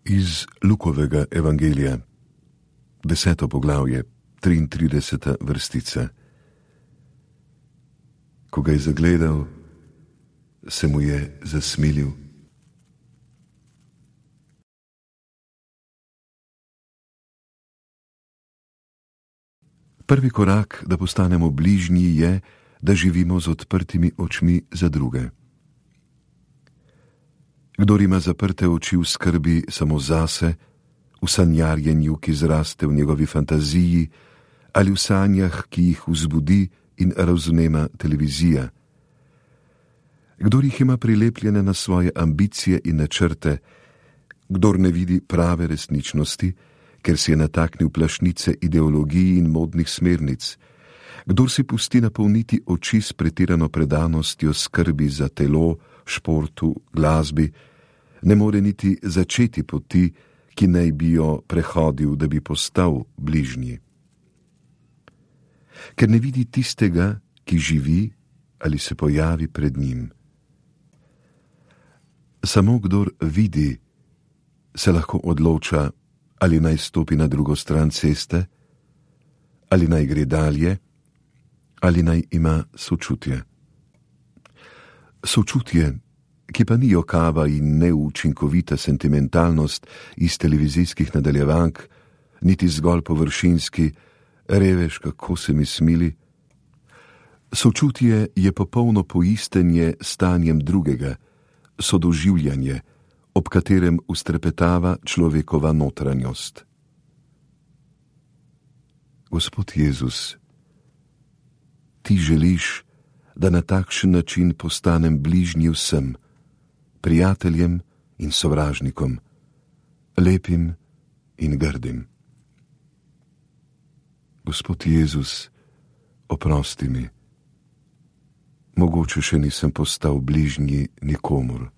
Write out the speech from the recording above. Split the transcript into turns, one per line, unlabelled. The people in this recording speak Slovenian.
Iz Lukovega evangelija, 10. poglavje, 33. vrstica. Ko ga je zagledal, se mu je zasmilil. Prvi korak, da postanemo bližnji, je, da živimo z odprtimi očmi za druge. Kdor ima zaprte oči v skrbi samo zase, v sanjarjenju, ki zraste v njegovi fantaziji, ali v sanjah, ki jih vzbudi in razvnema televizija. Kdor jih ima prilepljene na svoje ambicije in načrte, kdor ne vidi prave resničnosti, ker si je nataknil plašnice ideologij in modnih smernic, kdor si pusti napolniti oči s pretirano predanostjo skrbi za telo, športu, glasbi, ne more niti začeti poti, ki naj bi jo prehodil, da bi postal bližnji. Ker ne vidi tistega, ki živi ali se pojavi pred njim. Samo kdor vidi, se lahko odloča, ali naj stopi na drugo stran ceste, ali naj gre dalje, ali naj ima sočutje. Sočutje, ki pa ni jokava in neučinkovita sentimentalnost iz televizijskih nadaljevank, niti zgolj površinski, reveš, kako se mi smili. Sočutje je popolno poistenje stanjem drugega, sodoživljanje, ob katerem ustrepetava človekova notranjost. Gospod Jezus, ti želiš, da na takšen način postanem bližnji vsem, prijateljem in sovražnikom, lepim in grdim. Gospod Jezus, oprosti mi. Mogoče še nisem postal bližnji nikomur.